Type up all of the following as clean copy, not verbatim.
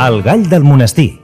El gall del monestir.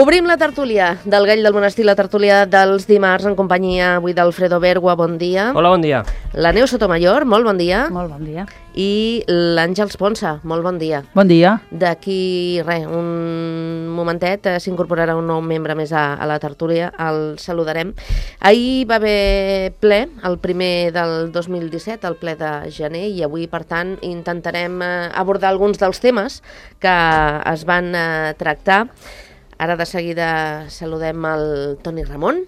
Obrim la tertúlia del Gall del Monestir, la tertúlia dels dimarts en companyia avui d'Alfredo Bergua, bon dia. Hola, bon dia. La Neus Sotomayor, molt bon dia. Molt bon dia. I l'Àngels Ponsa, molt bon dia. Bon dia. D'aquí, un momentet, s'incorporarà un nou membre més a la tertúlia, el saludarem. Ahir va haver ple, el primer del 2017, el ple de gener, i avui, per tant, intentarem abordar alguns dels temes que es van tractar. Ara de seguida saludem el Toni Ramon,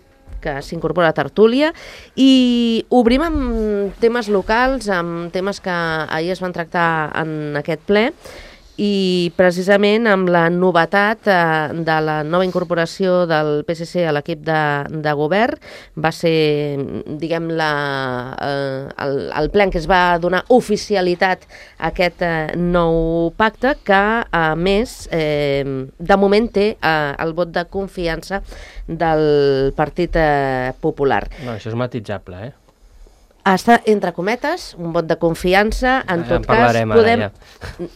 que s'incorpora a tertúlia, i obrim amb temes locals, amb temes que ahir es van tractar en aquest ple, i precisament amb la novetat de la nova incorporació del PSC a l'equip de govern. Va ser, diguem, el ple en què es va donar oficialitat a aquest nou pacte, que a més de moment té el vot de confiança del Partit Popular. No, això és matitzable, Està, entre cometes, un vot de confiança. En tot cas, podem...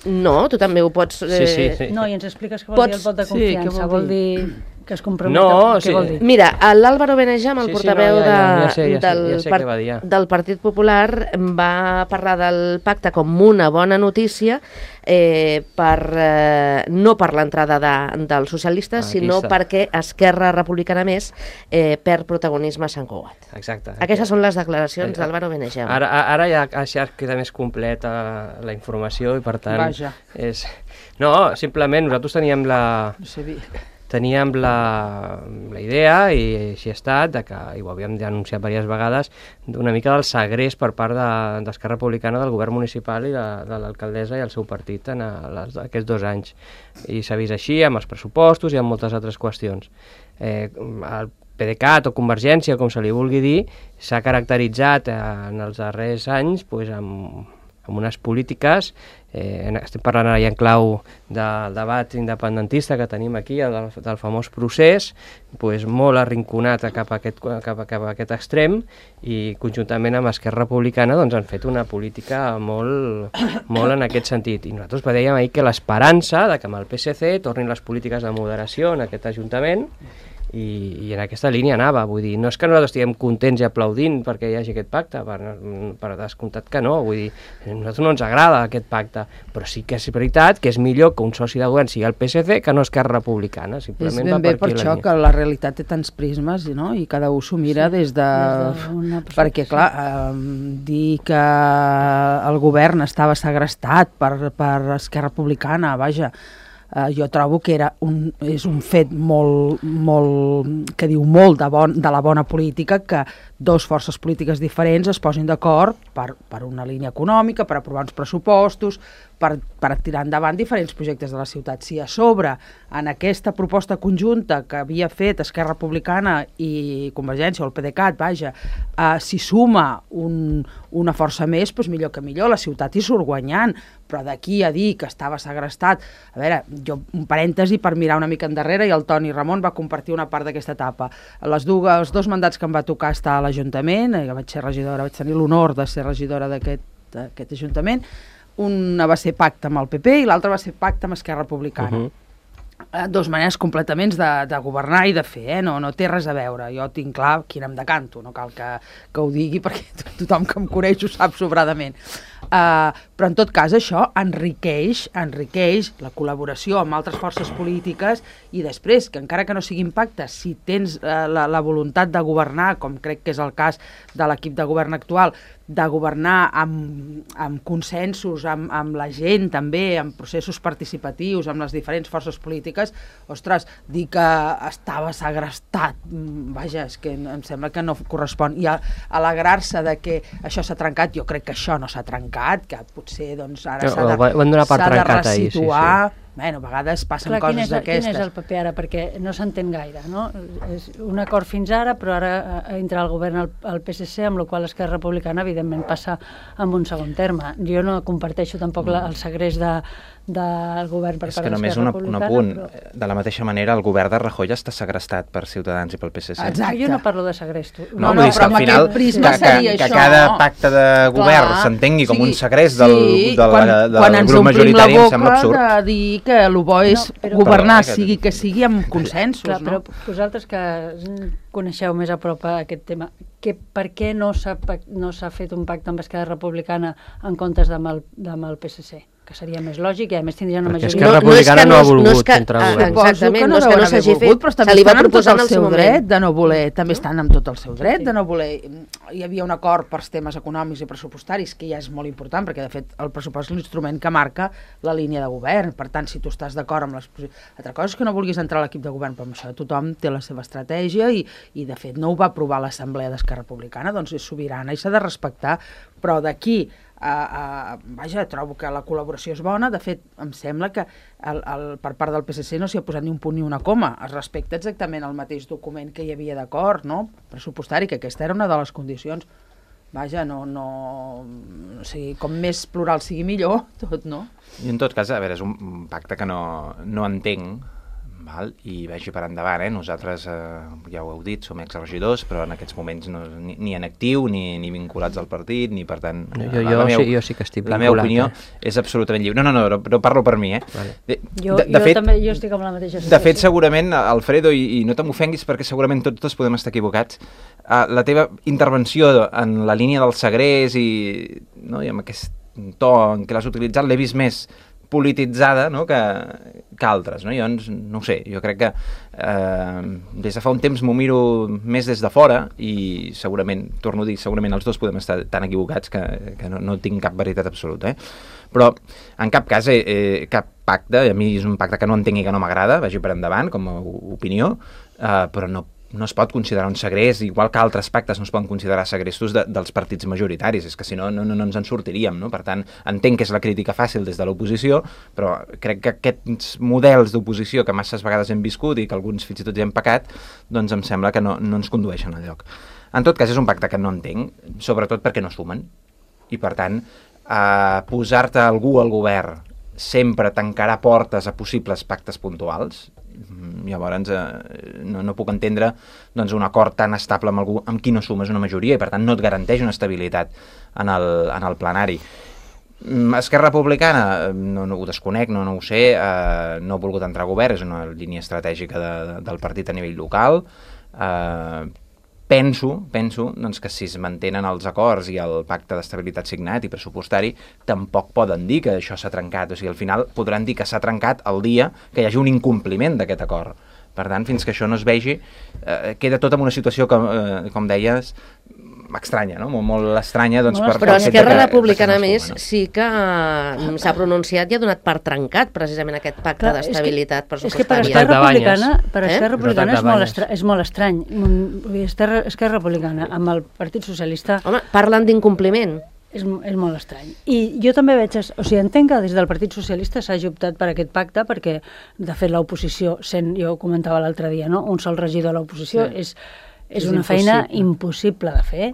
No, tu també ho pots... Sí. No, i ens expliques què vol dir el vot de confiança. Vol dir que es comprometa... No, què vol dir? Mira, l'Álvaro Benejam, el portaveu del Partit Popular, va parlar del pacte com una bona notícia, no per l'entrada dels socialistes, sinó perquè Esquerra Republicana Més perd protagonisme a Sant Cugat. Exacte. Aquestes són les declaracions d'Álvaro Benejam. Ara ja queda més completa la informació i, per tant... Vaja. No, simplement nosaltres teníem la idea, i així ha estat, i ho havíem denunciat diverses vegades, una mica del segrest per part d'Esquerra Republicana del govern municipal i de l'alcaldessa i el seu partit en aquests 2 anys. I s'ha vist així amb els pressupostos i amb moltes altres qüestions. El PDeCAT o Convergència, com se li vulgui dir, s'ha caracteritzat en els darrers anys amb unes polítiques, estem parlant ara ja en clau del debat independentista que tenim aquí, del famós procés, molt arrinconat cap a aquest extrem, i conjuntament amb Esquerra Republicana han fet una política molt en aquest sentit. I nosaltres dèiem ahir que l'esperança que amb el PSC tornin les polítiques de moderació en aquest Ajuntament, i en aquesta línia anava. Vull dir, no és que nosaltres estiguem contents i aplaudint perquè hi hagi aquest pacte, per descomptat que no. Vull dir, a nosaltres no ens agrada aquest pacte, però sí que és veritat que és millor que un soci de govern sigui el PSC que no Esquerra Republicana. És ben bé per això que la realitat té tants prismes, no? I cada un s'ho mira des de... Perquè, clar, dir que el govern estava segrestat per Esquerra Republicana, vaja, jo trobo que és un fet que diu molt de la bona política, que 2 forces polítiques diferents es posin d'acord per una línia econòmica, per aprovar uns pressupostos, per tirar endavant diferents projectes de la ciutat. Si a sobre, en aquesta proposta conjunta que havia fet Esquerra Republicana i Convergència, o el PDeCAT, vaja, s'hi suma una força més, doncs millor que millor, la ciutat hi surt guanyant, però d'aquí a dir que estava segrestat... A veure, jo, un parèntesi per mirar una mica endarrere, i el Toni Ramon va compartir una part d'aquesta etapa. Els 2 mandats que em va tocar estar a l'Ajuntament, jo vaig tenir l'honor de ser regidora d'aquest Ajuntament. Una va ser pacte amb el PP i l'altra va ser pacte amb Esquerra Republicana. 2 maneres completament de governar i de fer, no té res a veure. Jo tinc clar quin em decanto, no cal que ho digui perquè tothom que em coneix ho sap sobradament. però en tot cas això enriqueix la col·laboració amb altres forces polítiques i després, que encara que no siguin pactes, si tens la voluntat de governar, com crec que és el cas de l'equip de govern actual, de governar amb consensos, amb la gent també, amb processos participatius, amb les diferents forces polítiques, ostres, dir que estava segrestat, vaja, és que em sembla que no correspon. I alegrar-se de que això s'ha trencat, jo crec que això no s'ha trencat, que potser doncs, ara s'ha de resituar. Bueno, a vegades passen coses d'aquestes. Quin és el paper ara? Perquè no s'entén gaire, no? És un acord fins ara, però ara entra el govern al PSC, amb la qual cosa Esquerra Republicana, evidentment, passa en un segon terme. Jo no comparteixo tampoc el segrest del govern per part d'Esquerra Republicana. És que només un apunt. Però... De la mateixa manera, el govern de Rajoy està segrestat per Ciutadans i pel PSC. Exacte. Jo no parlo de segrest. No, vull dir que al final que cada pacte de govern s'entengui com un segrest del grup majoritari em sembla absurd. Quan ens omplim la boca de dir que el bo és governar, sigui que sigui amb consensos. Clar, però vosaltres que coneixeu més a prop aquest tema, per què no s'ha fet un pacte amb Esquerra Republicana en comptes amb el PSC? Que seria més lògic i a més tindria una majoria. Perquè Esquerra Republicana no ha volgut entrar al govern. Exactament, no és que no s'hagi fet, però també estan amb tot el seu dret de no voler, també estan amb tot el seu dret de no voler. Hi havia un acord per temes econòmics i pressupostaris, que ja és molt important, perquè de fet el pressupost és l'instrument que marca la línia de govern. Per tant, si tu estàs d'acord amb les... Altra cosa és que no vulguis entrar a l'equip de govern, però amb això tothom té la seva estratègia i de fet no ho va aprovar l'Assemblea d'Esquerra Republicana, doncs és sobirana i s'ha de respectar, però d'aquí vaja, trobo que la col·laboració és bona. De fet, em sembla que per part del PSC no s'hi ha posat ni un punt ni una coma. Es respecta exactament el mateix document que hi havia d'acord, no? Pressupostari, que aquesta era una de les condicions. Vaja, o sigui, com més plural sigui millor, tot, no? I en tot cas, a veure, és un pacte que no entenc, val? I vagi per endavant, nosaltres, ja ho heu dit, som exregidors, però en aquests moments ni en actiu, ni vinculats al partit, ni per tant... Jo sí que estic vinculat. La meva opinió és absolutament lliure. No parlo per mi, Vale. Jo estic amb la mateixa situació. De fet, segurament, Alfredo, i no te m'ofenguis perquè segurament tots podem estar equivocats, la teva intervenció en la línia del segrest i amb aquest to en què l'has utilitzat l'he vist més polititzada, no?, que altres, no? Jo no ho sé, jo crec que des de fa un temps m'ho miro més des de fora i segurament, torno a dir, segurament els dos podem estar tan equivocats que no tinc cap veritat absoluta, però en cap cas cap pacte, a mi és un pacte que no entenc i que no m'agrada, vagi per endavant com a opinió, però no es pot considerar un segrest, igual que altres pactes no es poden considerar segrestos dels partits majoritaris, és que si no ens en sortiríem, no? Per tant, entenc que és la crítica fàcil des de l'oposició, però crec que aquests models d'oposició que masses vegades hem viscut i que alguns fins i tot ja hem pecat, doncs em sembla que no ens condueixen al lloc. En tot cas, és un pacte que no entenc, sobretot perquè no sumen, i per tant, posar-te algú al govern sempre tancarà portes a possibles pactes puntuals. Llavors no puc entendre doncs, un acord tan estable amb algú amb qui no sumes una majoria i per tant no et garanteix una estabilitat en el plenari. Esquerra Republicana no ho desconec, no ho sé, no ha volgut entrar a govern, és una línia estratègica del partit a nivell local. Penso doncs, que si es mantenen els acords i el pacte d'estabilitat signat i pressupostari, tampoc poden dir que això s'ha trencat. O sigui, al final podran dir que s'ha trencat el dia que hi hagi un incompliment d'aquest acord. Per tant, fins que això no es vegi, queda tot en una situació, com deies, estranya, no? Molt estranya. Doncs, però Esquerra Republicana més sí que s'ha pronunciat i ha donat per trencat precisament aquest pacte d'estabilitat pressupostària. És que per Esquerra Republicana és molt estrany. Esquerra Republicana amb el Partit Socialista... Home, parlen d'incompliment. És molt estrany. I jo també veig... O sigui, entenc que des del Partit Socialista s'hagi optat per aquest pacte perquè, de fet, l'oposició, jo ho comentava l'altre dia, no? Un sol regidor a l'oposició és una feina impossible de fer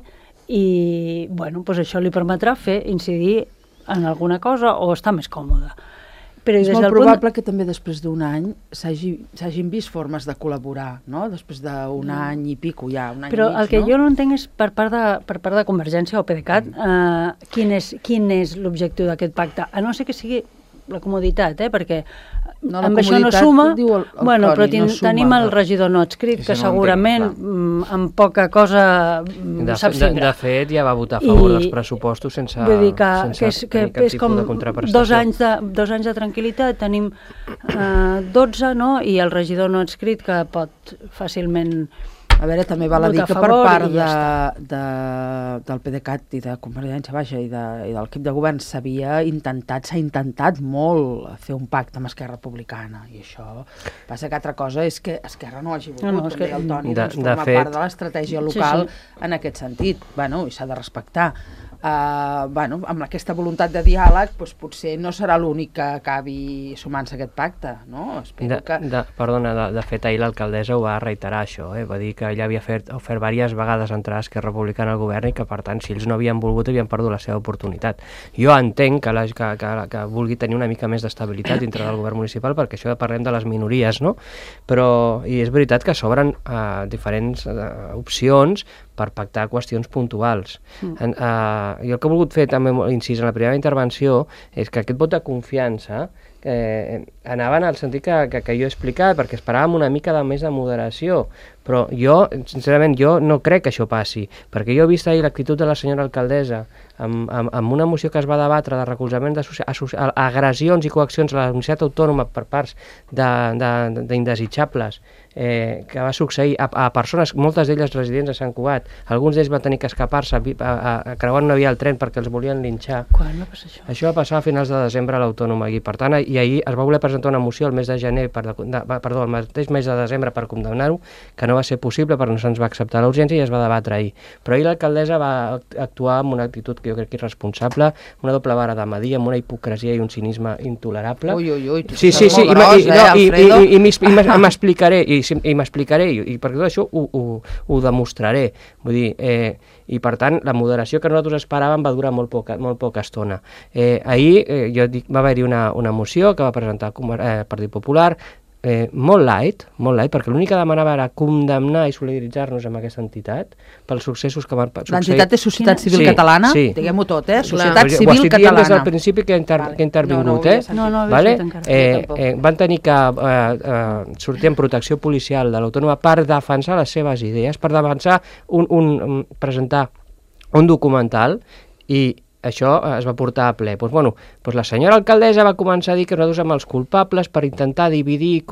i, bueno, doncs això li permetrà incidir en alguna cosa o estar més còmode. Però és molt probable que també després d'un any s'hagin vist formes de col·laborar, no? Després d'un any i pico, ja, un any però i mig, el que jo no entenc és per part de Convergència o PDeCAT quin és l'objectiu d'aquest pacte, a no ser que sigui la comoditat, perquè amb això no suma, bueno, però tenim el regidor no adscrit, que segurament amb poca cosa s'abstindrà. De fet, ja va votar a favor dels pressupostos sense tenir cap tipus de contraprestació. 2 anys de tranquil·litat, tenim 12, no? I el regidor no adscrit que pot fàcilment... A veure, també val a dir que per part del PDeCAT i de Convergència Baixa i de l'equip de govern s'ha intentat molt fer un pacte amb Esquerra Republicana, i això passa que altra cosa és que Esquerra no hagi volgut, com deia el Toni, forma part de l'estratègia local en aquest sentit, i s'ha de respectar. Amb aquesta voluntat de diàleg, potser no serà l'únic que acabi sumant-se a aquest pacte, no? Perdona, de fet, ahir l'alcaldessa ho va reiterar, això, va dir que ella havia ofert diverses vegades entrar a Esquerra Republicana al govern i que, per tant, si ells no havien volgut, havien perdut la seva oportunitat. Jo entenc que vulgui tenir una mica més d'estabilitat dintre del govern municipal, perquè això parlem de les minories, no? Però, i és veritat que s'obren diferents opcions per pactar qüestions puntuals. Jo el que he volgut fer també, incís en la primera intervenció, és que aquest vot de confiança anava en el sentit que jo he explicat, perquè esperàvem una mica més de moderació, però jo, sincerament, no crec que això passi, perquè jo he vist ahir l'actitud de la senyora alcaldessa amb una moció que es va debatre de recolzament d'agressions i coaccions a la Universitat Autònoma per parts d'indesitjables que va succeir a persones, moltes d'elles residents a Sant Cugat. Alguns d'ells van tenir que escapar-se creuant una via al tren perquè els volien linxar. Quan va passar això? Això va passar a finals de desembre a l'Autònoma, i per tant, i ahir es va voler presentar una moció el mes de gener, el mateix mes de desembre, per condemnar-ho, que no va ser possible perquè no se'ns va acceptar l'urgència i es va debatre ahir. Però ahir l'alcaldessa va actuar amb una actitud que jo crec que irresponsable, una doble vara de medir, amb una hipocresia i un cinisme intolerable. Ui, sí, i m'explicaré, i per tot això ho demostraré. Vull dir, i per tant, la moderació que nosaltres esperàvem va durar molt poca estona. Ahir va haver-hi una moció que va presentar el Partit Popular, molt light, perquè l'únic que demanava era condemnar i solidaritzar-nos amb aquesta entitat pels successos que van succeir. L'entitat és Societat Civil Catalana? Diguem-ho tot, Societat Civil Catalana. Ho estic dient des del principi que he intervingut, van tenir que sortir en protecció policial de l'Autònoma per defensar les seves idees, per defensar presentar un documental, i això es va portar a ple. La senyora alcaldessa va començar a dir que nosaltres som els culpables per intentar dividir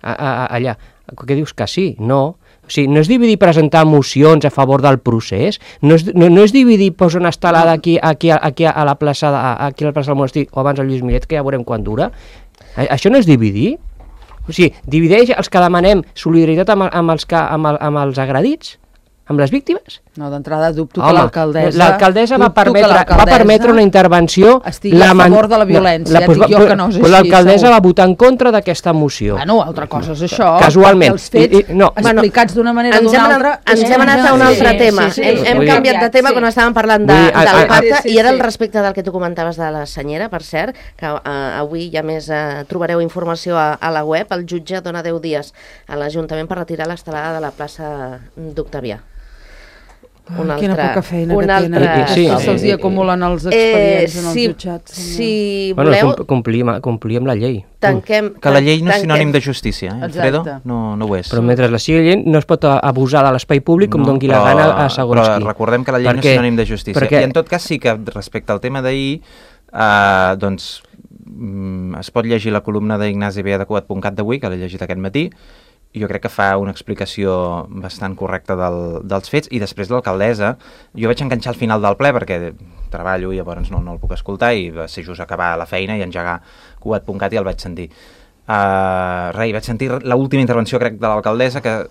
allà. Què dius que sí? No. O sigui, no és dividir presentar mocions a favor del procés, no és dividir posar una estelada aquí a la plaça del Monestir o abans al Lluís Millet, que ja veurem quan dura. Això no és dividir? O sigui, divideix els que demanem solidaritat amb els agredits? Amb les víctimes? No, d'entrada dubto que l'alcaldessa va permetre una intervenció... Estigui a favor de la violència, dic jo que no és així. L'alcaldessa va votar en contra d'aquesta moció. Altra cosa és això. Casualment. Els fets explicats d'una manera o d'una altra... Ens hem anat a un altre tema. Hem canviat de tema quan estàvem parlant del pacte, i era al respecte del que tu comentaves de la senyera, per cert, que avui ja més trobareu informació a la web. El jutge dona 10 dies a l'Ajuntament per retirar l'estelada de la plaça d'Octavià. Quina poca feina que tenen. Se'ls hi acumulen els expedients en els jutjats. Si voleu... Complir amb la llei. Que la llei no és sinònim de justícia, Alfredo? No ho és. Però mentre la sigui llei no es pot abusar de l'espai públic com doni la gana a segons qui. Però recordem que la llei no és sinònim de justícia. I en tot cas sí que respecte al tema d'ahir, doncs es pot llegir la columna d'Ignasi Bea de Cugat.cat d'avui, que l'he llegit aquest matí, i jo crec que fa una explicació bastant correcta dels fets, i després l'alcaldessa, jo vaig enganxar al final del ple perquè treballo i llavors no el puc escoltar, i va ser just acabar la feina i engegar Cugat.cat i el vaig sentir. Vaig sentir l'última intervenció, crec, de l'alcaldessa, que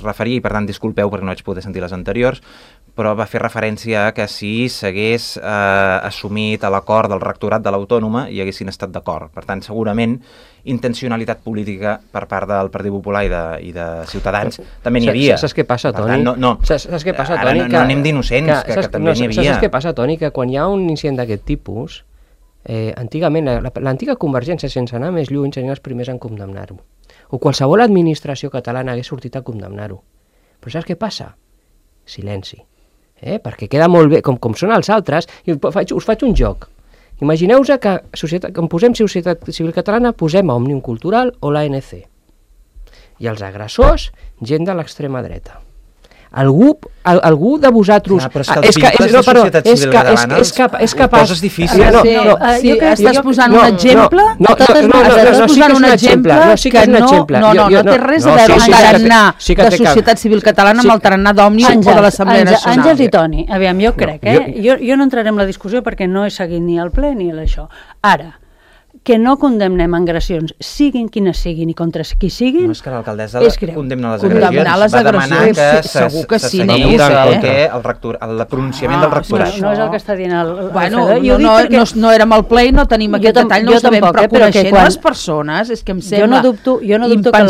referia, i per tant disculpeu perquè no vaig poder sentir les anteriors, però va fer referència a que si s'hagués assumit l'acord del rectorat de l'Autònoma i haguessin estat d'acord. Per tant, segurament, intencionalitat política per part del Partit Popular i de Ciutadans també n'hi havia. Saps què passa, Toni? Saps què passa, Toni? No anem d'innocents, que també n'hi havia. Saps què passa, Toni? Que quan hi ha un incident d'aquest tipus, antigament, l'antiga Convergència, sense anar més lluny, serien els primers en condemnar-ho. O qualsevol administració catalana hagués sortit a condemnar-ho. Però saps què passa? Silenci. Perquè queda molt bé, com són els altres, us faig un joc. Imagineu-vos que quan posem Societat Civil Catalana posem a Òmnium Cultural o l'ANC. I els agressors, gent de l'extrema dreta. Algú de vosaltres... Clar, però és que els vincles de Societat Civil Catalana ho poses difícil. Estàs posant un exemple que no té res a veure amb el tarannà de Societat Civil Catalana amb el tarannà d'Òmnium o de l'Assemblea Nacional. Àngels i Toni, aviam, jo crec, jo no entraré en la discussió perquè no he seguit ni el ple ni l'això. Ara, que no condemnem agressions, siguin quines siguin i contra qui siguin... No, és que l'alcaldessa condemna les agressions. Condemnar les agressions, segur que sí. El pronunciament del rectorat. No és el que està dient el Bueno, no érem al ple i no tenim aquest detall, no ho sabem, però coneixent les persones és que em sembla impensable. Jo no dubto que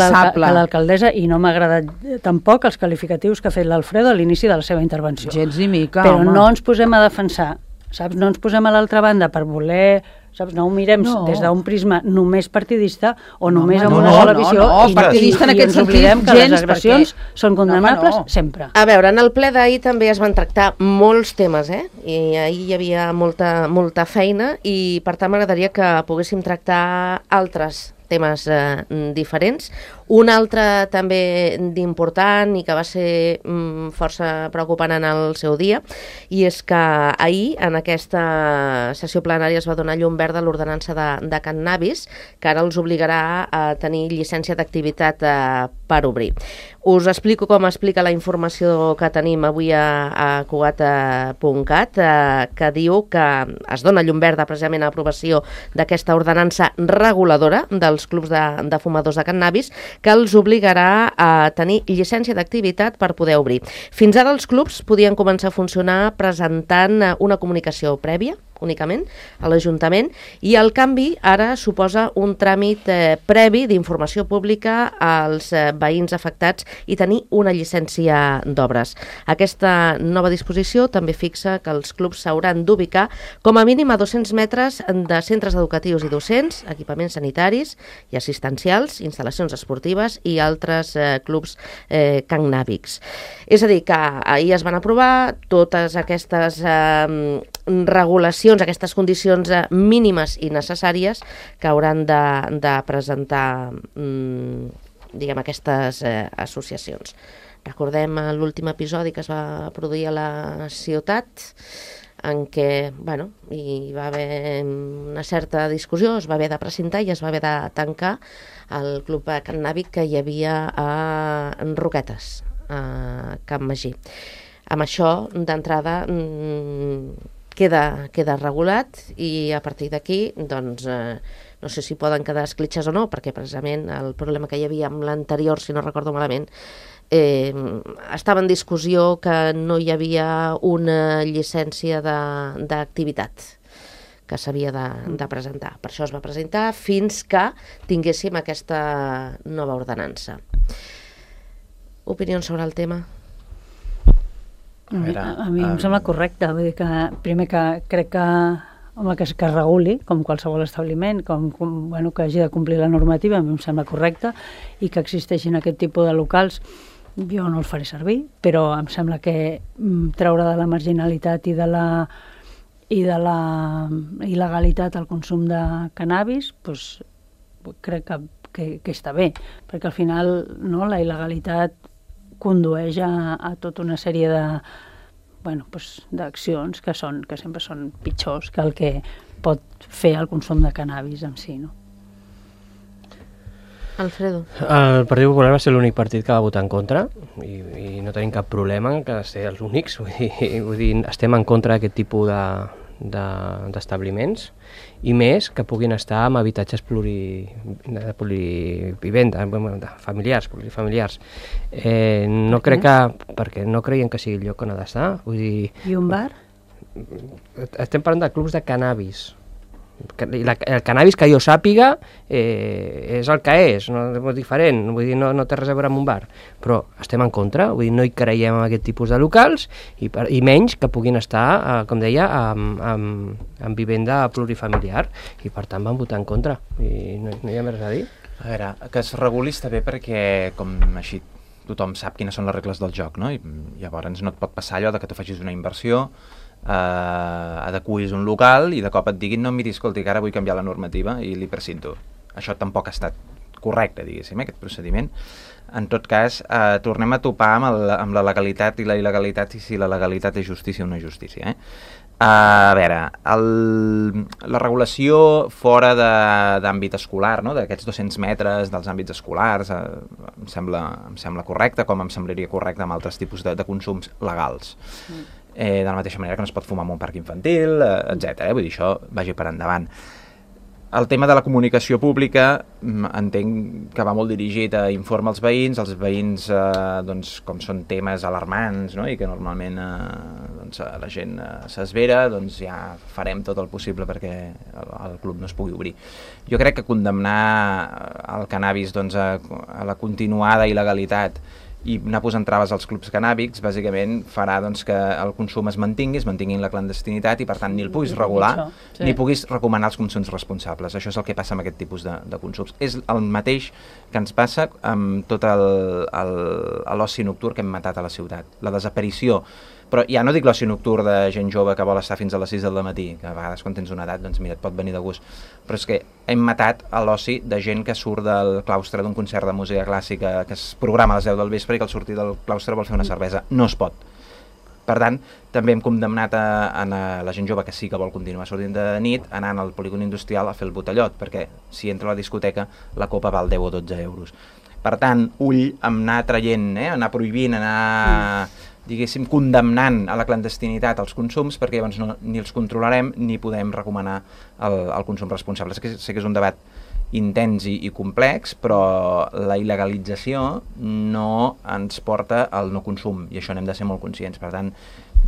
l'alcaldessa, i no m'ha agradat tampoc els qualificatius que ha fet l'Alfredo a l'inici de la seva intervenció. Gens ni mica, però no ens posem a defensar, saps? No ens posem a l'altra banda per voler... Saps? No ho mirem des d'un prisma només partidista o només amb una sola visió i ens oblidem que les agressions són condemnables sempre. A veure, en el ple d'ahir també es van tractar molts temes, i ahir hi havia molta feina i per tant m'agradaria que poguéssim tractar altres temes diferents. Un altre també d'important i que va ser força preocupant en el seu dia, i és que ahir en aquesta sessió plenària es va donar llum verda a l'ordenança de cannabis, que ara els obligarà a tenir llicència d'activitat per obrir. Us explico com explica la informació que tenim avui a Cugat.cat, que diu que es dona llum verda precisament a l'aprovació d'aquesta ordenança reguladora dels clubs de fumadors de cannabis, que els obligarà a tenir llicència d'activitat per poder obrir. Fins ara els clubs podien començar a funcionar presentant una comunicació prèvia, únicament, a l'Ajuntament, i el canvi ara suposa un tràmit previ d'informació pública als veïns afectats i tenir una llicència d'obres. Aquesta nova disposició també fixa que els clubs s'hauran d'ubicar com a mínim a 200 metres de centres educatius i docents, equipaments sanitaris i assistencials, instal·lacions esportives i altres clubs cannàbics. És a dir, que ahir es van aprovar totes aquestes regulacions, aquestes condicions mínimes i necessàries que hauran de presentar aquestes associacions. Recordem l'últim episodi que es va produir a la ciutat, en què hi va haver una certa discussió, es va haver de precintar i es va haver de tancar el club cannàbic que hi havia a Roquetes, a Camp Magí. Amb això, d'entrada, queda regulat i a partir d'aquí, doncs, no sé si poden quedar escletxes o no, perquè precisament el problema que hi havia amb l'anterior, si no recordo malament, estava en discussió que no hi havia una llicència d'activitat que s'havia de presentar. Per això es va presentar fins que tinguéssim aquesta nova ordenança. Opinions sobre el tema? A mi em sembla correcte, vull dir que primer que crec que es reguli, com qualsevol establiment, que hagi de complir la normativa, a mi em sembla correcte, i que existeixin aquest tipus de locals, jo no els faré servir, però em sembla que treure de la marginalitat i de la il·legalitat el consum de cannabis, crec que està bé, perquè al final la il·legalitat condueix a tota una sèrie d'accions que sempre són pitjors que el que pot fer el consum de cannabis en si, no? Alfredo. El Partit Popular va ser l'únic partit que va votar en contra i no tenim cap problema en que ser els únics, vull dir, estem en contra d'aquest tipus d'establiments i més que puguin estar amb habitatges familiars, plurifamiliars. No crec que... perquè no creiem que sigui el lloc on ha d'estar. I un bar? Estem parlant de clubs de cannabis. El cannabis que jo sàpiga és el que és, no és diferent, vull dir, no té res a veure amb un bar, però estem en contra, vull dir, no hi creiem en aquest tipus de locals i menys que puguin estar, com deia, en vivenda plurifamiliar, i per tant van votar en contra i no hi ha més res a dir. A veure, que es reguli està bé perquè com així tothom sap quines són les regles del joc, no? I llavors no et pot passar allò de que tu facis una inversió adequis un local i de cop et diguin no, miri, escolti, que ara vull canviar la normativa i li precinto. Això tampoc ha estat correcte, diguéssim, aquest procediment. En tot cas, tornem a topar amb la legalitat i la il·legalitat i si la legalitat és justícia o no és justícia. A veure, la regulació fora d'àmbit escolar, no? D'aquests 200 metres dels àmbits escolars, em sembla correcte, com em semblaria correcte amb altres tipus de consums legals. De la mateixa manera que no es pot fumar en un parc infantil, etc. Vull dir, això vagi per endavant. El tema de la comunicació pública entenc que va molt dirigit a informar els veïns, doncs, com són temes alarmants, no? I que normalment doncs, la gent s'esvera, doncs ja farem tot el possible perquè el club no es pugui obrir. Jo crec que condemnar el cannabis doncs, a la continuada il·legalitat i anar posant traves als clubs cannàbics bàsicament farà doncs, que el consum es mantingui la clandestinitat i per tant ni el puguis regular ni puguis recomanar els consums responsables. Això és el que passa amb aquest tipus de consums. És el mateix que ens passa amb tot l'oci nocturn que hem matat a la ciutat. La desaparició, però ja no dic l'oci nocturn de gent jove que vol estar fins a les 6 del matí, que a vegades quan tens una edat doncs mira, et pot venir de gust, però és que hem matat l'oci de gent que surt del claustre d'un concert de música clàssica que es programa a les 10 del vespre i que al sortir del claustre vol fer una cervesa. No es pot. Per tant, també hem condemnat a la gent jove que sí que vol continuar sortint de nit anant al polígon industrial a fer el botellot, perquè si entra a la discoteca la copa val 10 o 12 euros. Per tant, ull amb anar traient, anar prohibint, anar diguéssim, condemnant a la clandestinitat els consums, perquè llavors ni els controlarem ni podem recomanar el consum responsable. Sé que és un debat intens i complex, però la il·legalització no ens porta al no consum, i això n'hem de ser molt conscients. Per tant,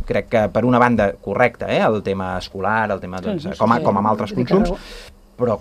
crec que per una banda correcte, el tema escolar, el tema, doncs, com amb altres consums, però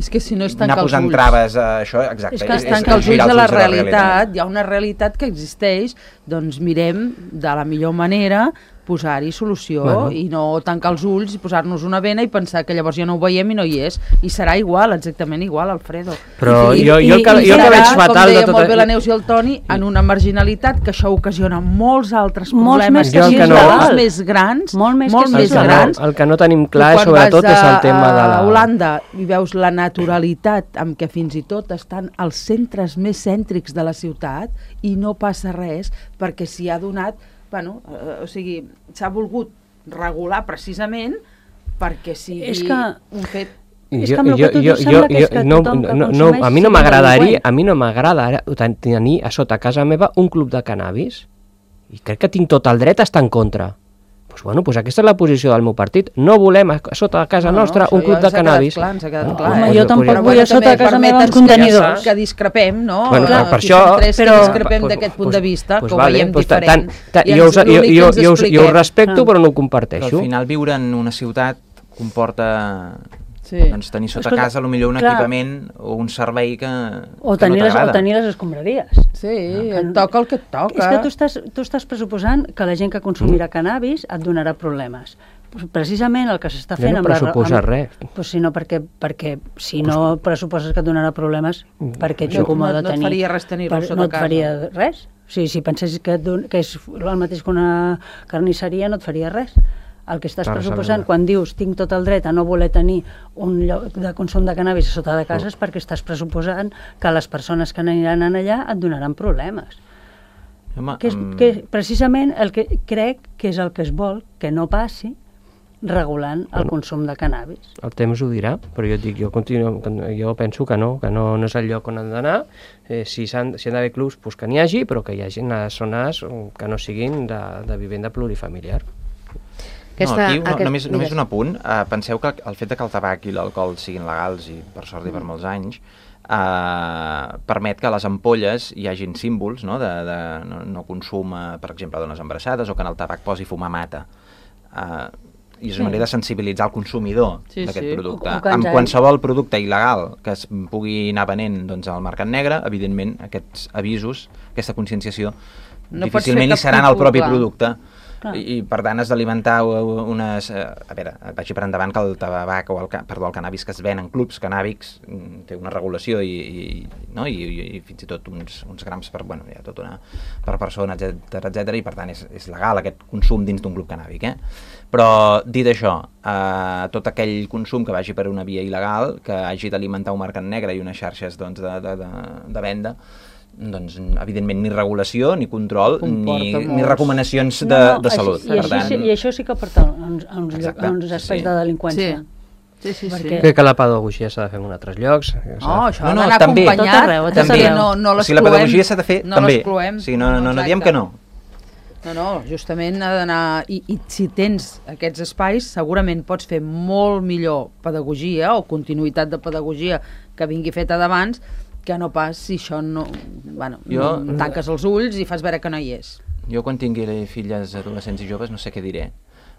és que si no anar posant traves a això, exacte. És que es tanca els ulls a la realitat, hi ha una realitat que existeix, doncs mirem de la millor manera posar-hi solució i no tancar els ulls i posar-nos una vena i pensar que llavors ja no ho veiem i no hi és. I serà igual, exactament igual, Alfredo. Però jo el que veig fatal com deia molt bé la Neus i el Toni, en una marginalitat que això ocasiona molts altres problemes més grans, molt més grans. El que no tenim clar, sobretot, és el tema de la... A Holanda hi veus la naturalitat amb què fins i tot estan els centres més cèntrics de la ciutat i no passa res perquè s'hi ha donat o sigui, s'ha volgut regular precisament perquè sigui un fet... És que amb el que tu sembla que és que tothom que consumeix... A mi no m'agrada tenir a sota casa meva un club de cannabis i crec que tinc tot el dret a estar en contra. Doncs aquesta és la posició del meu partit. No volem a sota de casa nostra un club de cannabis. Ens ha quedat clar. Home, jo tampoc vull a sota de casa meva uns contenidors. Que discrepem, no? Per això... Que discrepem d'aquest punt de vista, que ho veiem diferent. Jo ho respecto, però no ho comparteixo. Al final viure en una ciutat comporta... doncs tenir sota casa potser un equipament o un servei que no t'agrada. O tenir les escombraries. Sí, et toca el que et toca. És que tu estàs pressuposant que la gent que consumirà cannabis et donarà problemes. Precisament el que s'està fent... Jo no pressuposa res. Sinó perquè si no pressuposes que et donarà problemes, perquè ets còmode tenir... No et faria res tenir-ho sota casa. No et faria res. Si pensessis que és el mateix que una carnisseria, no et faria res. El que estàs pressuposant quan dius tinc tot el dret a no voler tenir un lloc de consum de cannabis a sota de casa és perquè estàs pressuposant que les persones que aniran allà et donaran problemes. Que precisament el que crec que és el que es vol que no passi regulant el consum de cannabis. El temps ho dirà, però jo penso que no és el lloc on han d'anar. Si han d'haver clubs, que n'hi hagi, però que hi hagi zones que no siguin de vivenda plurifamiliar. Només un apunt. Penseu que el fet que el tabac i l'alcohol siguin legals, i per sort i per molts anys, permet que a les ampolles hi hagin símbols de no consum, per exemple, a dones embarassades, o que en el tabac posi fumar mata. I és una manera de sensibilitzar el consumidor d'aquest producte. Amb qualsevol producte il·legal que es pugui anar venent al mercat negre, evidentment, aquests avisos, aquesta conscienciació, difícilment hi seran el propi producte I per tant has d'alimentar unes... A veure, vagi per endavant que el tabac o el cannabis que es ven en clubs cannàbics té una regulació i fins i tot uns grams per persona, etc. I per tant és legal aquest consum dins d'un club cannàbic, Però, dit això, tot aquell consum que vagi per una via il·legal, que hagi d'alimentar un mercat negre i unes xarxes de venda, doncs, evidentment, ni regulació, ni control, ni recomanacions de salut. I això sí que porta a uns espais de delinqüència. Sí. Crec que la pedagogia s'ha de fer en altres llocs. Això ha d'anar acompanyat. Si la pedagogia s'ha de fer, també. No diem que no. No, justament ha d'anar... I si tens aquests espais, segurament pots fer molt millor pedagogia o continuïtat de pedagogia que vingui feta d'abans, que no pas si això no... tanques els ulls i fas veure que no hi és. Jo quan tingui filles adolescents i joves no sé què diré,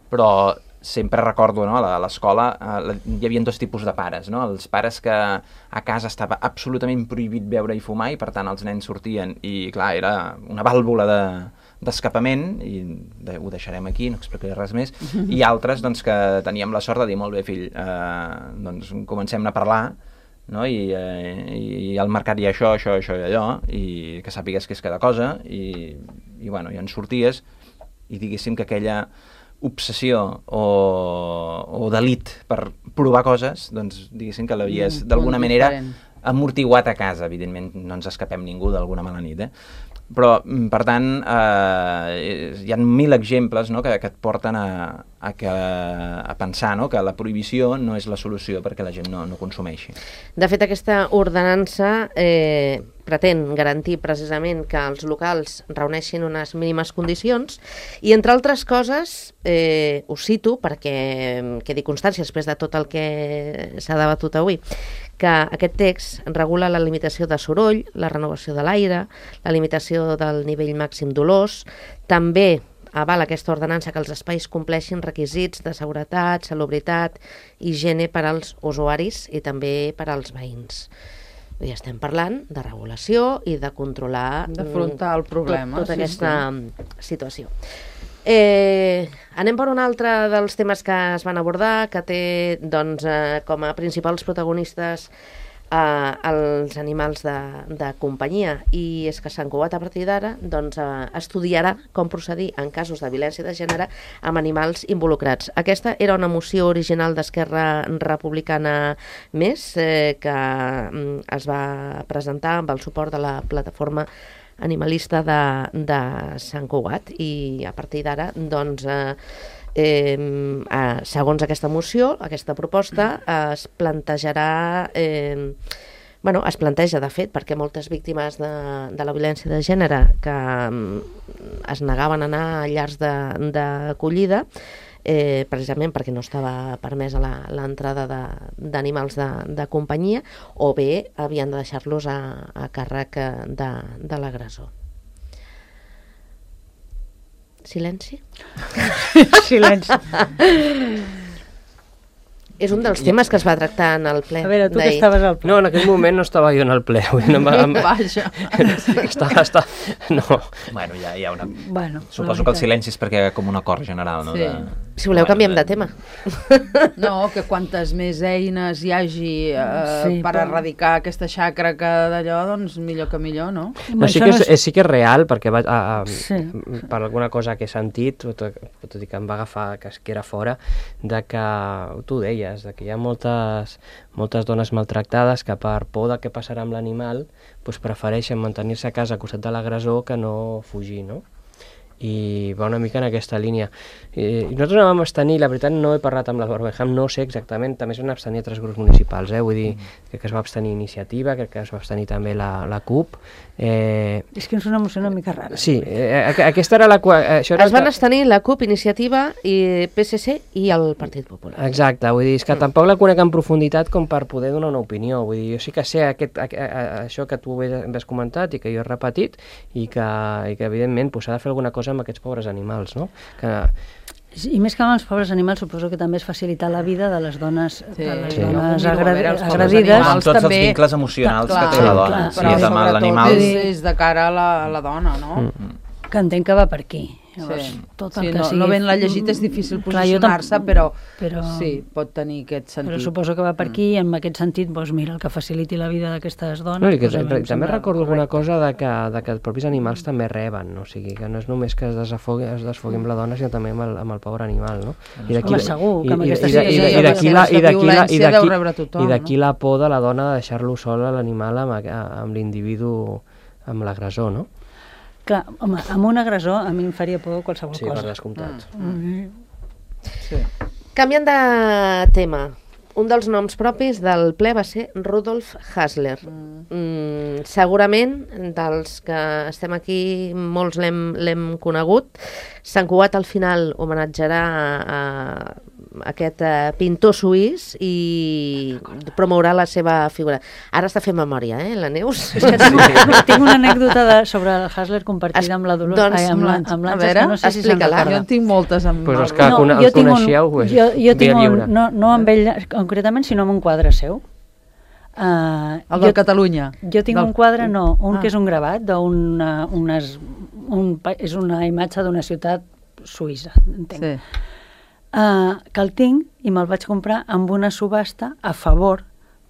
però sempre recordo, a l'escola hi havia dos tipus de pares, els pares que a casa estava absolutament prohibit beure i fumar i per tant els nens sortien i clar, era una vàlvula d'escapament i ho deixarem aquí, no explicaré res més, i altres que teníem la sort de dir molt bé fill, doncs comencem a parlar, i al mercat hi ha això i allò, i que sàpigues què és cada cosa, i en sorties i diguéssim que aquella obsessió o delit per provar coses, doncs diguéssim que l'havies d'alguna manera amortiguat a casa. Evidentment no ens escapem ningú d'alguna mala nit, però per tant hi ha 1000 exemples que et porten a pensar que la prohibició no és la solució perquè la gent no consumeixi. De fet, aquesta ordenança pretén garantir precisament que els locals reuneixin unes mínimes condicions i, entre altres coses, ho cito perquè quedi constància després de tot el que s'ha debatut avui, que aquest text regula la limitació de soroll, la renovació de l'aire, la limitació del nivell màxim d'olors, també avala aquesta ordenança que els espais compleixin requisits de seguretat, salubritat, higiene per als usuaris i també per als veïns. I estem parlant de regulació i de controlar d'afrontar el problema, tota aquesta situació. Anem per un altre dels temes que es van abordar, que té com a principals protagonistes els animals de companyia, i és que Sant Cugat a partir d'ara estudiarà com procedir en casos de violència de gènere amb animals involucrats. Aquesta era una moció original d'Esquerra Republicana Més que es va presentar amb el suport de la plataforma animalista de Sant Cugat, i a partir d'ara segons aquesta moció, aquesta proposta es plantejarà es planteja de fet perquè moltes víctimes de la violència de gènere que es negaven a anar a llars d'acollida precisament perquè no estava permesa l'entrada d'animals de companyia, o bé havien de deixar-los a càrrec de l'agressor. Silenci? Silenci. És un dels temes que es va tractar en el ple. A veure, tu que estaves al ple. No, en aquell moment no estava jo en el ple. Vaja. No. Bueno, hi ha una... Suposo que el silenci és perquè com un acord general, no? Sí. Si voleu, canviem de tema. No, que quantes més eines hi hagi per erradicar aquesta xacra que d'allò, doncs millor que millor, no? Sí que és real, perquè per alguna cosa que he sentit, tot i que em va agafar que era fora, de que, tu ho deies, de que hi ha moltes dones maltractades que per por de què passarà amb l'animal prefereixen mantenir-se a casa a costat de l'agressor que no fugir, no? I va una mica en aquesta línia. I nosaltres no vam abstenir, la veritat no he parlat amb l'Albert Beham, no sé exactament, també es van abstenir 3 grups municipals, vull dir, crec que es va abstenir Iniciativa, crec que es va abstenir també la CUP. És que és una moció una mica rara. Sí, aquesta era la... Es van abstenir la CUP, Iniciativa, i PSC i el Partit Popular. Exacte, vull dir, és que tampoc la conec en profunditat com per poder donar una opinió, vull dir, jo sí que sé això que tu has comentat i que jo he repetit i que evidentment s'ha de fer alguna cosa amb aquests pobres animals, no? I més que amb els pobres animals, suposo que també és facilitar la vida de les dones, agredides. Amb tots els vincles emocionals que té la dona. Però sobretot és de cara a la dona, no? Que entenc que va per aquí. Llavors, Sí. tot el Sí, que sigui... no ben la llegit és difícil Clar, jo posicionar-se, però sí, pot tenir aquest Però sentit. suposo que va per aquí, i en aquest sentit, doncs mira, el que faciliti la vida d'aquestes dones... No, i que doncs, a mi em també sembla recordo alguna correcte. cosa de que els propis animals també reben, no? O sigui, que no és només que es desfogui amb la dona, sinó també amb el pobre animal, no? Home, segur que amb aquesta I d'aquí la por de la dona de deixar-lo sol a l'animal amb l'individu, amb l'agressor, no? Clar, home, amb un agressor a mi em faria por qualsevol Sí, cosa. per descomptat. Sí. Canviant de tema, un dels noms propis del ple va ser Rudolf Hasler. Segurament, dels que estem aquí, molts l'hem conegut. Sant Cugat al final homenatjarà a aquest pintor suís i promourà la seva figura. Ara està fent memòria, la Neus? Tinc una anècdota sobre el Hasler compartida amb la Dolors. Doncs, amb l'Àngels, que no sé si se'n explica-la. recorda. Jo en tinc moltes amb Pues és el que el coneixeu, pues, jo tinc via lliure. no amb ell concretament, sinó amb un quadre seu. el de Catalunya. Jo tinc un quadre, que és un gravat, és una imatge d'una ciutat suïssa, entenc. Sí. Que el tinc i me'l vaig comprar amb una subhasta a favor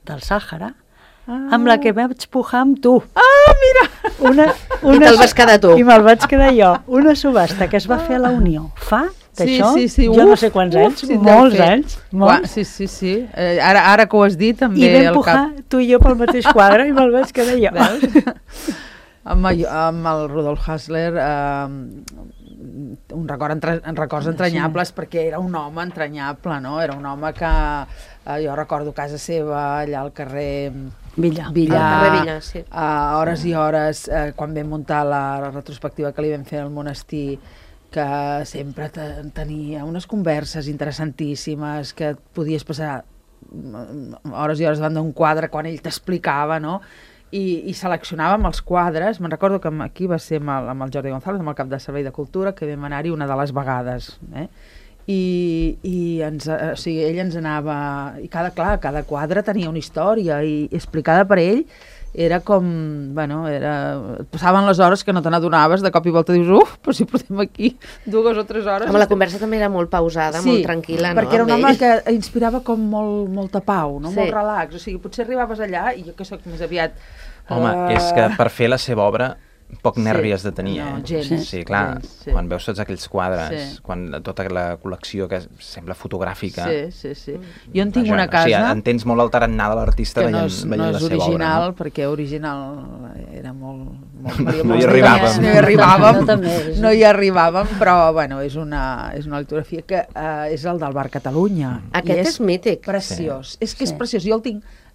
del Sàhara, amb la que vaig pujar amb tu. Ah, mira! I te'l vas quedar tu. I me'l vaig quedar jo. Una subhasta que es va fer a la Unió. Fa d'això, sí. jo no sé quants anys, sí, molts deu fer. anys. Molts. Sí. Ara que ho has dit, també I vam el pujar cap... tu i jo pel mateix quadre i me'l vaig quedar jo. Amb el Rudolf Hasler records entranyables, perquè era un home entranyable, no? Era un home que jo recordo casa seva allà al carrer Villar. Al carrer Villar, sí. Hores i hores, quan vam muntar la retrospectiva que li vam fer al monestir, que sempre tenia unes converses interessantíssimes, que et podies passar hores i hores davant d'un quadre quan ell t'explicava, no? I seleccionàvem els quadres. Me'n recordo que aquí va ser amb el Jordi González, amb el cap de Servei de Cultura, que vam anar-hi una de les vegades. I ell ens anava... I cada quadre tenia una història i explicada per ell. Era com... passaven les hores que no te n'adonaves, de cop i volta dius, però si portem aquí 2 o 3 hores... Home, la conversa també era molt pausada, molt tranquil·la, no? Perquè era un home que inspirava com molta pau, no? Sí. Molt relax. O sigui, potser arribaves allà, i jo que soc més aviat... Home, és que per fer la seva obra poc nervi has de tenir. No, gens. Sí, clar, gens, quan veus tots aquells quadres, quan tota la col·lecció que sembla fotogràfica... Sí. Jo en tinc una casa... O sigui, entens molt el tarannà de l'artista veient la seva obra. No és original, perquè original era molt... No hi arribàvem. No hi arribàvem, però, bueno, és una litografia que és el del Bar Catalunya. Aquest és mític. Preciós. És que és preciós. Jo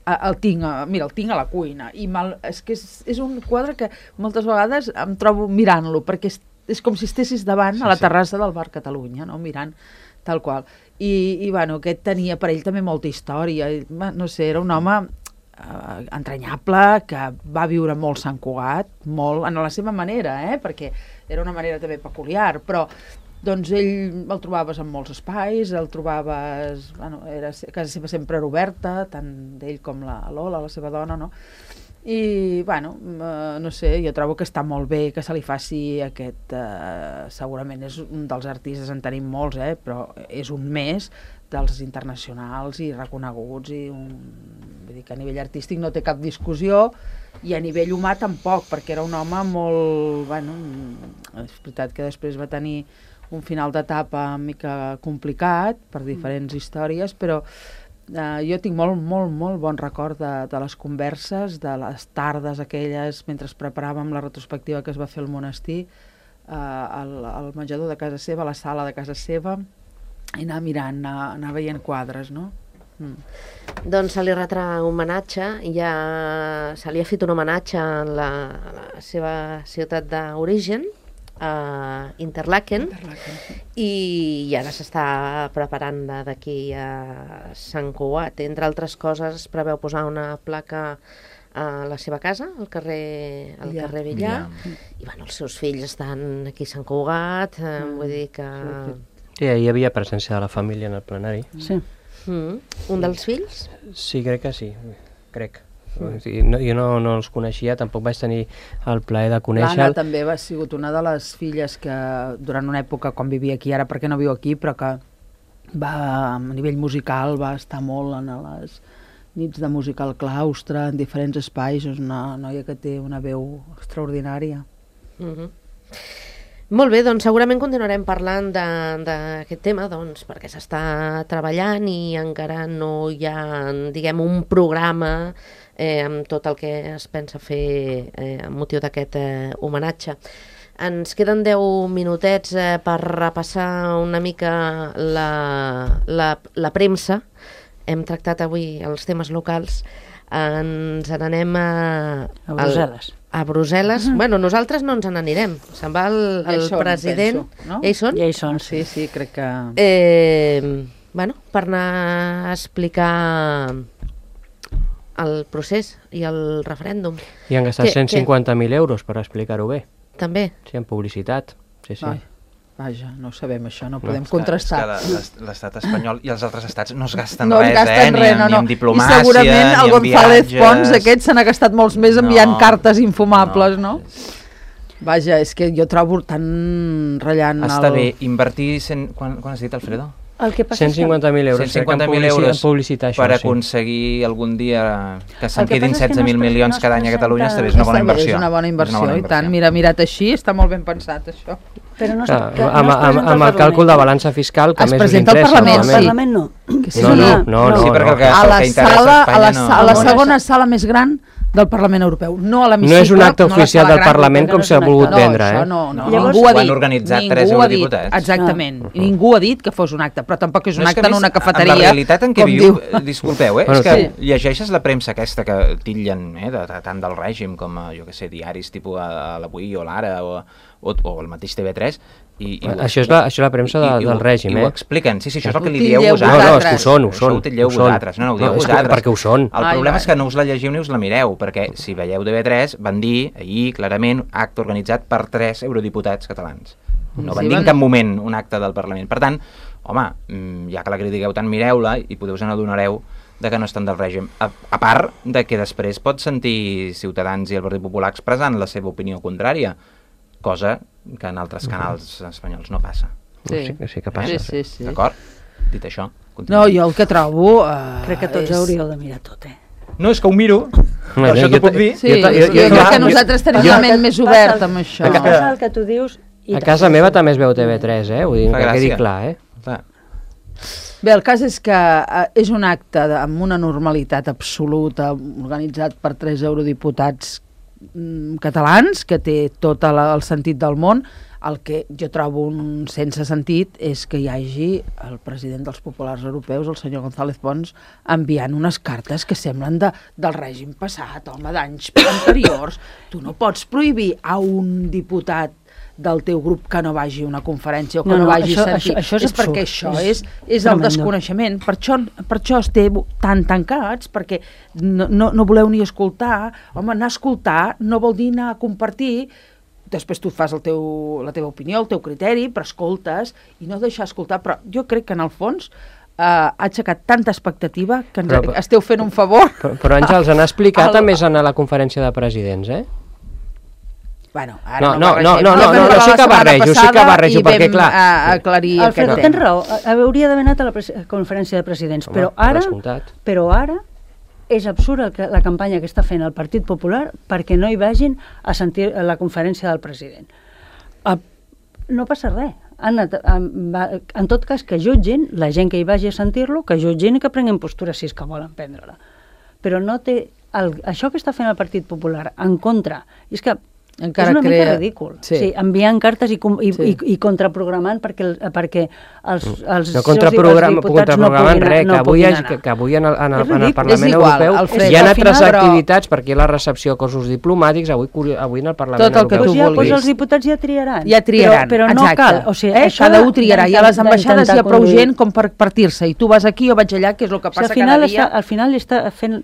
el tinc a la cuina, i és que és un quadre que moltes vegades em trobo mirant-lo, perquè és com si estessis davant a la terrassa del Bar Catalunya, no? Mirant tal qual. I bueno, aquest tenia per ell també molta història, no sé, era un home entranyable, que va viure molt Sant Cugat, molt, en la seva manera, perquè era una manera també peculiar, però doncs ell el trobaves en molts espais, el trobaves... casa seva sempre era oberta, tant d'ell com la Lola, la seva dona, no? I, no sé, jo trobo que està molt bé que se li faci aquest... segurament és un dels artistes, en tenim molts, però és un més dels internacionals i reconeguts, i vull dir que a nivell artístic no té cap discussió, i a nivell humà tampoc, perquè era un home molt... és veritat que després va tenir un final d'etapa una mica complicat per diferents històries, però jo tinc molt bon record de les converses, de les tardes aquelles mentre preparàvem la retrospectiva que es va fer al monestir, al menjador de casa seva, a la sala de casa seva, i anar mirant, anar veient quadres, no? Doncs se li retrà un homenatge, ja se li ha fet un homenatge a la seva ciutat d'origen, a Interlaken, i ara s'està preparant d'aquí a Sant Cugat. Entre altres coses, es preveu posar una placa a la seva casa, al carrer Villar, i els seus fills estan aquí a Sant Cugat, vull dir que... Sí, hi havia presència de la família en el plenari. Sí. Un dels fills? Sí, crec que sí, crec. Jo no els coneixia, tampoc vaig tenir el plaer de conèixer-lo. L'Anna també ha sigut una de les filles que durant una època, quan vivia aquí, ara perquè no viu aquí, però que a nivell musical va estar molt en les nits de música al claustre, en diferents espais. És una noia que té una veu extraordinària. Molt bé, doncs segurament continuarem parlant d'aquest tema, doncs, perquè s'està treballant i encara no hi ha, diguem, un programa amb tot el que es pensa fer amb motiu d'aquest homenatge. Ens queden 10 minutets per repassar una mica la premsa. Hem tractat avui els temes locals. Ens n'anem a Brussel·les. A Brussel·les. Bueno, nosaltres no ens n'anirem. Se'n va el president. Penso, no? Ja hi són? Ja hi són, Sí, crec que... Bueno, per anar a explicar el procés i el referèndum. I han gastat 150.000 euros per explicar-ho bé. També? Sí, en publicitat. Sí. Ai, vaja, no ho sabem això, no podem contrastar. És que l'estat espanyol i els altres estats no es gasten No es res, gasten res, ni en diplomàcia, I segurament el ni en González viatges. Pons aquest se n'ha gastat molts més enviant cartes infumables, no? Vaja, és que jo trobo tan ratllant... Està bé, invertir... Quan has dit, Alfredo? El que passa 150.000 euros. 150.000 euros publicitar això, per sí. aconseguir algun dia que se'n El que quedin passa és que 16.000 milions cada any a Catalunya, està bé, és una bona inversió. És una bona inversió, i tant. Mira, mirat així, està molt ben pensat, això. Però no amb el càlcul de balança fiscal, que Es més us presenta al interessa. Parlament, al sí. Parlament no. No. Sí, perquè el que A la interessa sala, Espanya a la segona sala més gran del Parlament Europeu, no a l'hemicicle. No és un acte no a la oficial sala del gran, Parlament com s'ha volgut vendre, No, eh? això no. Llavors, Ningú ha ho han dit. organitzat Ningú 3 ha dit, eurodiputats. exactament. I ningú ha dit que fos un acte, però tampoc és un No, acte que a en més, una cafeteria. amb la realitat en què com viu, diu. disculpeu, Bueno, és que sí. llegeixes la premsa aquesta que titllen tant del règim com, jo que sé, diaris tipus a l'Avui o l'Ara o el mateix TV3, i Això és la premsa del règim, i ho eh? expliquen, sí, això és el que li Ho dieu titlleu vosaltres. No, és que ho són. Això ho titlleu vosaltres, no ho dieu és que vosaltres. perquè ho són. El problema és que no us la llegiu ni us la mireu, perquè si veieu TV3 van dir ahir clarament acte organitzat per 3 eurodiputats catalans. No van dir en cap moment un acte del Parlament. Per tant, home, ja que la critiqueu tant, mireu-la i us n'adonareu de que no estan del règim. A part de que després pot sentir Ciutadans i el Partit Popular expressant la seva opinió contrària, cosa que en altres canals espanyols no passa. Sí que passa. Sí. D'acord? Dit això, No, jo el que trobo... Crec que tots hauríeu de mirar tot, No, és que ho miro, per això t'ho puc dir. Sí, jo crec que nosaltres tenim la ment més oberta amb això. Passa el que tu dius... A casa meva també es veu TV3, eh? Vull dir, Fa que quedi gràcia. clar, eh? Clar. Bé, el cas és que és un acte amb una normalitat absoluta, organitzat per 3 eurodiputats catalans, que té tot el sentit del món. El que jo trobo un sense sentit és que hi hagi el president dels populars europeus, el senyor González Pons, enviant unes cartes que semblen del règim passat, home, d'anys anteriors. Tu no pots prohibir a un diputat del teu grup que no vagi a una conferència o que no vagi a sentir. Això és perquè absurd. això és el desconeixement. Per això esteu tan tancats, perquè no voleu ni escoltar. Home, anar a escoltar no vol dir anar a compartir. Després tu fas la teva opinió, el teu criteri, però escoltes i no deixar escoltar. Però jo crec que en el fons ha aixecat tanta expectativa que esteu fent un favor. Però Àngels, han explicat a més anar a la conferència de presidents, eh? Bueno, ara no, sí que barrejo, perquè clar... aclarir Alfredo, tens raó, hauria d'haver anat a la conferència de presidents, però ara és absurd la campanya que està fent el Partit Popular perquè no hi vagin a sentir la conferència del president. No passa res. En tot cas, que jutgin, la gent que hi vagi a sentir-lo, que jutgin i que prenguin postura si és que volen prendre-la. Però no té... Això que està fent el Partit Popular en contra, és que encara és una mica ridícul. Sí, enviant cartes i contraprogramant perquè els diputats no puguin anar. Que avui en el Parlament Europeu hi ha altres activitats, perquè la recepció de cossos diplomàtics avui en el Parlament Europeu. Doncs els diputats ja triaran. Però no exacte. cal. O sigui, cada un triarà. I a les ambaixades hi ha prou gent com per partir-se. I tu vas aquí o vaig allà, que és el que passa cada dia. Al final està fent,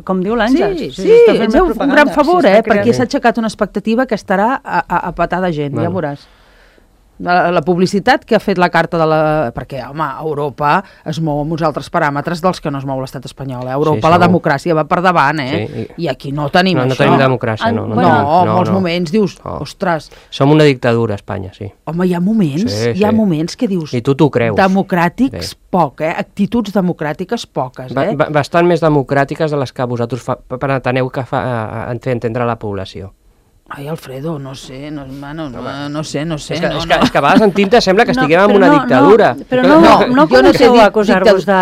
com diu l'Àngels. Sí, és un gran favor, perquè s'ha aixecat una expectativa que estarà a petar de gent, ja veuràs. la publicitat que ha fet la carta de la... Perquè, home, Europa es mou amb uns altres paràmetres dels que no es mou l'estat espanyol. Europa, la democràcia va per davant, I aquí no tenim això. No tenim democràcia, no. No, en molts moments dius, ostres... Som una dictadura, Espanya, sí. Home, hi ha moments que dius... I tu t'ho creus. Democràtics, poc, actituds democràtiques, poques, Bastant més democràtiques de les que vosaltres preteneu que fer entendre a la població. Ai, Alfredo, no sé. És que a vegades en tinta sembla que estiguem en una dictadura. Però no comenceu a acusar-vos de...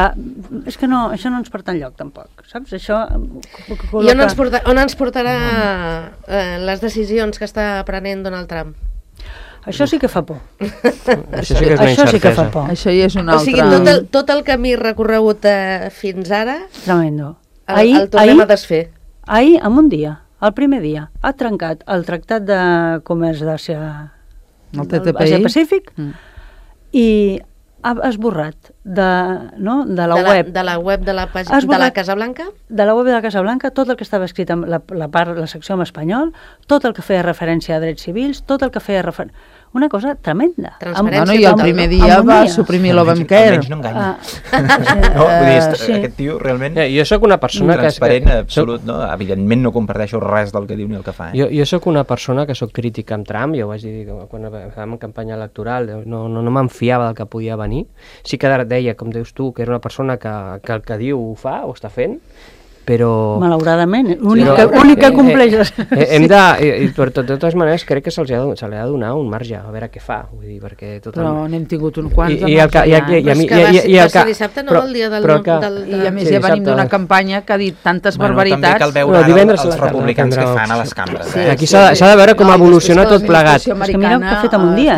És que no, això no ens porta enlloc, tampoc, saps? Això... I on ens portarà les decisions que està prenent Donald Trump? Això sí que fa por. Això sí que fa por. Això ja és una altra... O sigui, tot el camí recorregut fins ara... Tremendo. El tornem a desfer. Ahir, en un dia, el primer dia, ha trencat el Tractat de Comerç d'Àsia Pacífic i ha esborrat de la web de la Casa Blanca? De la web de la Casa Blanca, tot el que estava escrit en la secció en espanyol, tot el que feia referència a drets civils, tot el que feia referència... Una cosa tremenda. I el primer dia va suprimir l'Obamacare. Almenys no enganya. Vull dir, aquest tio realment... Jo sóc una persona que... Transparent, absolut, no? Evidentment no comparteixo res del que diu ni el que fa. Jo sóc una persona que sóc crítica amb Trump, jo ho vaig dir quan estàvem en campanya electoral, no me'n fiava del que podia venir. Sí que deia, com dius tu, que era una persona que el que diu ho fa, ho està fent, però... Malauradament, l'única compleix... Per totes maneres, crec que se li ha de donar un marge, a veure què fa, vull dir, perquè... Però n'hem tingut un quants de marge. Va ser dissabte, no? El dia del... I a més ja venim d'una campanya que ha dit tantes barbaritats... També cal veure els republicans que fan a les cambres. Aquí s'ha de veure com evoluciona tot plegat. És que mira el que ha fet en un dia,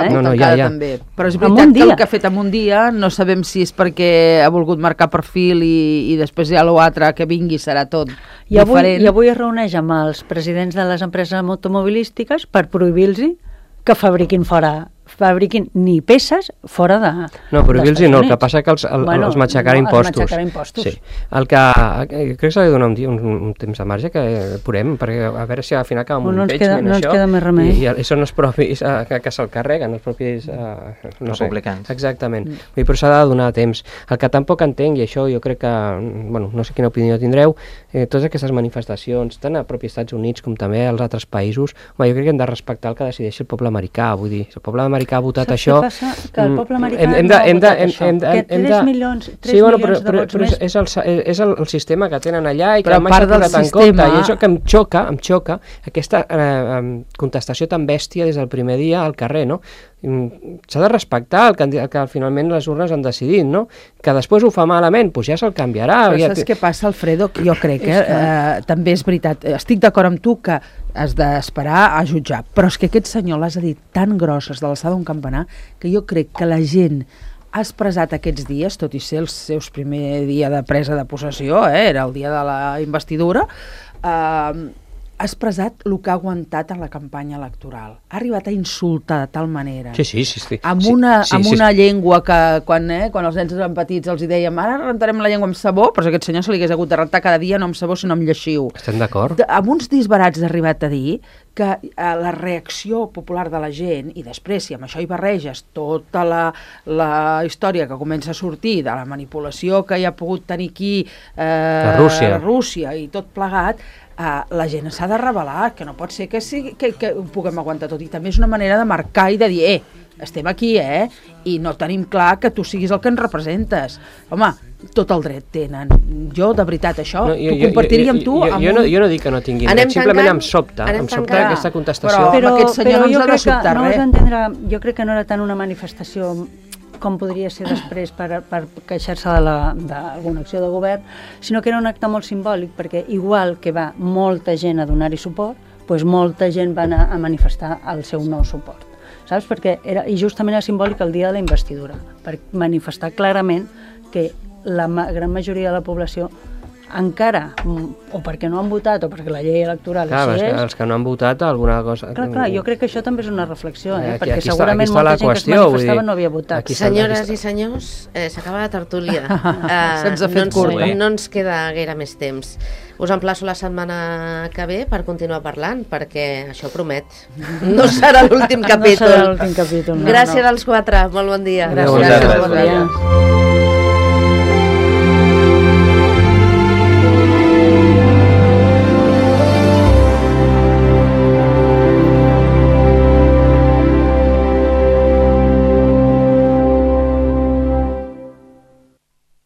Però és veritat que el que ha fet en un dia no sabem si és perquè ha volgut marcar perfil i després ja l'altre que vingui serà tot diferent. I avui es reuneix amb els presidents de les empreses automobilístiques per prohibir-los que fabriquin ni peces fora de... No, prohibir-los no, el que passa que els matxacarà impostos. Sí. El que crec que s'ha de donar un temps de marge que podem, perquè a veure si al final acaba amb un impeachment, no ens queda més remei. I són els propis que se'l carreguen, els propis republicans. Exactament. Però s'ha de donar temps. El que tampoc entenc, i això jo crec que, no sé quina opinió tindreu, totes aquestes manifestacions, tant a propis Estats Units com també als altres països, jo crec que hem de respectar el que decideixi el poble americà, vull dir, si el poble americà ha votat això... Saps què passa? Que el poble americà no ha votat això. Que 3 milions de vots més... És el sistema que tenen allà i que mai s'ha posat en compte. I això que em xoca, aquesta contestació tan bèstia des del primer dia al carrer, no? S'ha de respectar el que finalment les urnes han decidit, no? Que després ho fa malament, doncs ja se'l canviarà. Però saps què passa, Alfredo? Jo crec que també és veritat, estic d'acord amb tu que has d'esperar a jutjar, però és que aquest senyor les ha dit tan grosses de l'alçada d'un campanar que jo crec que la gent ha expressat aquests dies, tot i ser els seus primer dia de presa de possessió, era el dia de la investidura, ha expressat el que ha aguantat en la campanya electoral. Ha arribat a insultar de tal manera. Sí. Amb una llengua que quan els nens eren petits els dèiem ara rentarem la llengua amb sabó, però aquest senyor se li hagués hagut de rentar cada dia no amb sabó sinó amb lleixiu. Estem d'acord. Amb uns disbarats ha arribat a dir que la reacció popular de la gent, i després si amb això hi barreges tota la història que comença a sortir de la manipulació que hi ha pogut tenir aquí Rússia i tot plegat, la gent s'ha de revelar, que no pot ser que ho puguem aguantar tot, i també és una manera de marcar i de dir, estem aquí, i no tenim clar que tu siguis el que ens representes. Home, tot el dret tenen. Jo, de veritat, això ho compartiria amb tu. Jo no dic que no tinguin dret, simplement em sobta aquesta contestació. Però aquest senyor no ens ha de sobtar res. Jo crec que no era tant una manifestació com podria ser després per queixar-se d'alguna acció de govern, sinó que era un acte molt simbòlic, perquè igual que va molta gent a donar-hi suport, doncs molta gent va anar a manifestar el seu nou suport. Saps? I justament era simbòlic el dia de la investidura, per manifestar clarament que la gran majoria de la població encara, o perquè no han votat o perquè la llei electoral Clar, així és... els que no han votat alguna cosa... Clar, jo crec que això també és una reflexió, perquè aquí segurament està molta la gent que es qüestió, manifestava no havia votat. Senyores i senyors, s'acaba la tertúlia. Se'ns ha fet curt. No ens queda gaire més temps. Us emplaço la setmana que ve per continuar parlant, perquè això promet. No serà l'últim capítol. No serà l'últim capítol. Gràcies als quatre, molt bon dia. Gràcies. Gràcies. Bon dia.